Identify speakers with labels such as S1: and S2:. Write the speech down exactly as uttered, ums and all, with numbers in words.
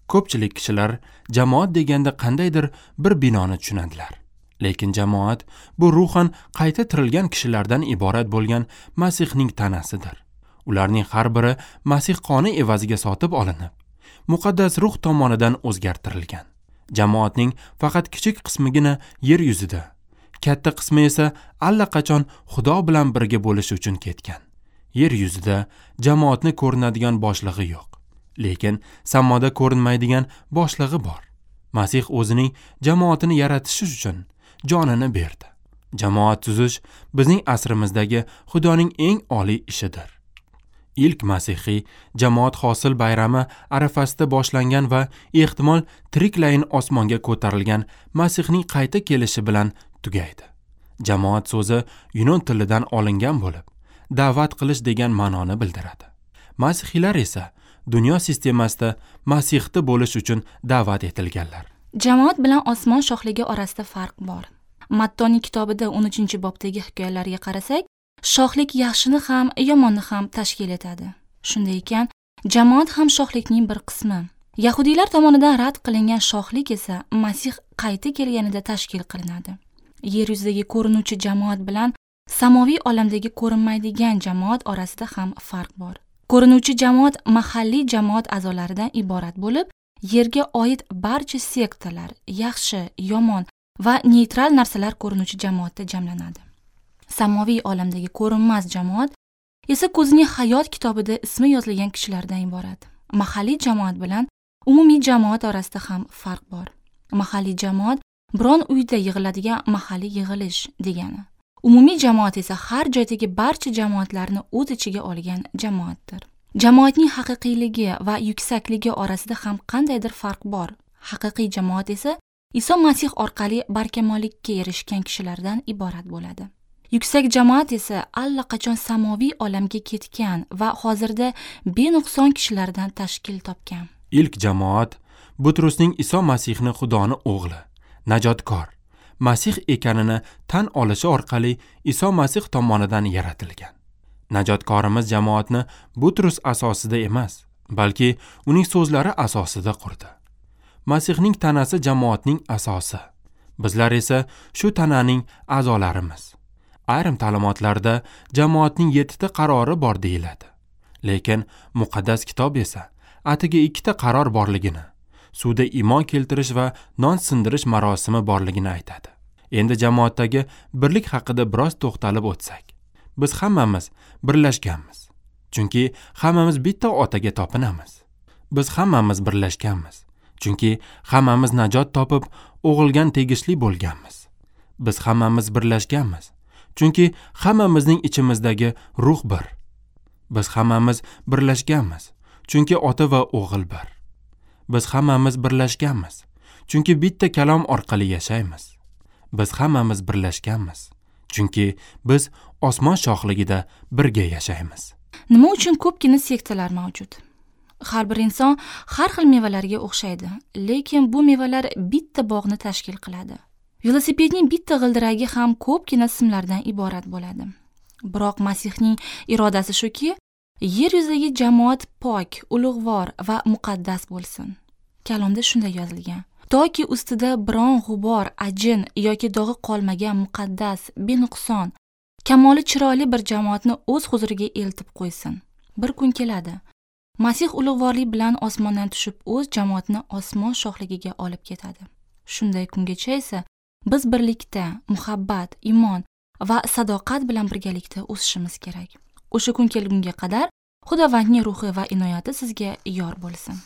S1: Ko'pchilik kishilar jamoat deganda qandaydir bir binoni tushunadilar. Lekin jamoat bu ruhan qayta tirilgan kishilardan iborat bo'lgan Masihning tanasidir. Ularning har biri Masih qoni evaziga sotib olinib, muqaddas ruh tomonidan o'zgartirilgan. Jamoatning faqat kichik qismigina yer yuzida, katta qismi esa allaqachon Xudo bilan birga bo'lish uchun ketgan. Yer yuzida jamoatni ko'rinadigan boshlig'i yo'q, lekin samoda ko'rinmaydigan boshlig'i bor. Masih o'zining jamoatini yaratish uchun jonini berdi. Jamoat tuzish bizning asrimizdagi Xudoning eng oliy ishidir. Ilk masihiy jamoat hosil bayrami arafasida boshlangan va ehtimol tiriklayin osmonga ko'tarilgan Masihning qayta kelishi bilan tugaydi. Jamoat so'zi yunon tilidan olingan bo'lib, da'vat qilish degan ma'noni bildiradi. Masihiylar esa dunyo sistemasida Masihda bo'lish uchun da'vat etilganlar.
S2: Jamoat bilan osmon shohligi orasida farq bor. Mattoning kitobida o'n uchinchi bobdagi hikoyalarga qarasak, shohlik yaxshini ham, yomonni ham tashkil etadi. Shunday ekan, jamoat ham shohlikning bir qismi. Yahudiylar tomonidan rad qilingan shohlik esa Masih qayta kelganida tashkil qilinadi. Yer yuzidagi ko'rinuvchi jamoat bilan samoviy olamdagi ko'rinmaydigan jamoat orasida ham farq bor. Ko'rinuvchi jamoat mahalliy jamoat a'zolaridan iborat bo'lib, yerga oid barcha sektalar, yaxshi, yomon va neytral narsalar ko'rinuvchi jamoatda jamlanadi. Samoviy olamdagi ko'rinmas jamoat esa ko'zining hayot kitobida ismi yozilgan kishilardan iborat. Mahalliy jamoat bilan umumiy jamoat orasida ham farq bor. Mahalliy jamoat biron uyda yig'iladigan mahalliy yig'ilish degani. Umumiy jamoat esa har joydagi barcha jamoatlarni o'z ichiga olgan jamoatdir. Jamoatning haqiqiyligi va yuksakligi orasida ham qandaydir farq bor. Haqiqiy jamoat esa Iso Masih orqali barkamollikka erishgan kishilardan iborat bo'ladi. Yuksak jamoat esa allaqachon samoviy olamga ketgan va hozirda benuqson kishilardan tashkil topgan.
S1: Ilk jamoat Butrusning Iso Masihni Xudoni o'g'li, najotkor, Masih ekanini tan olishi orqali Iso Masih tomonidan yaratilgan. Najotkorimiz jamoatni Butrus asosida emas, balki uning so'zlari asosida qurdi. Masihning tanasi jamoatning asosi. Bizlar esa shu tananing a'zolarimiz. Ayrim ta'limotlarda jamoatning yettita qarori bor deyiladi. Lekin muqaddas kitob esa atigi ikkita qaror borligini, suvda iymon keltirish va non sindirish marosimi borligini aytadi. Endi jamoatdagi birlik haqida biroz to'xtalib o'tsak. Biz hammamiz birlashganmiz. Chunki hammamiz bitta otaga topinamiz. Biz hammamiz birlashganmiz. Chunki hammamiz najot topib, o'g'ilgan tegishli bo'lganmiz. Biz hammamiz birlashganmiz. Chunki hammamizning ichimizdagi ruh bir. Biz hammamiz birlashganmiz. Chunki ota va o'g'il bir. Biz hammamiz birlashganmiz. Chunki bitta kalom orqali yashaymiz. Biz hammamiz birlashganmiz. Chunki biz osmon shohligida birga yashaymiz.
S2: Nima uchun ko'pgina sektalar mavjud? Har bir inson har xil mevalarga o'xshaydi, lekin bu mevalar bitta bog'ni tashkil qiladi. Velosipedning bitta g'ildiragi ham ko'pgina simlardan iborat bo'ladi. Biroq Masihning irodasi shuki, yer yuzidagi jamoat pok, ulug'vor va muqaddas bo'lsin. Kalomda shunday yozilgan: toki ustida biron g'ubor, ajin yoki dog'i qolmagan muqaddas, benuqson, kamoli chiroyli bir jamoatni o'z huzuriga eltib qo'ysin. Bir kun keladi. Masih ulug'vorlik bilan osmondan tushib o'z jamoatini osmon shohligiga olib ketadi. Shunday kungacha esa biz birlikda, muhabbat, iymon va sadoqat bilan birgalikda o'sishimiz kerak. O'sha kun kelgunga qadar Xudovandning ruhi va inoyati sizga yor bo'lsin.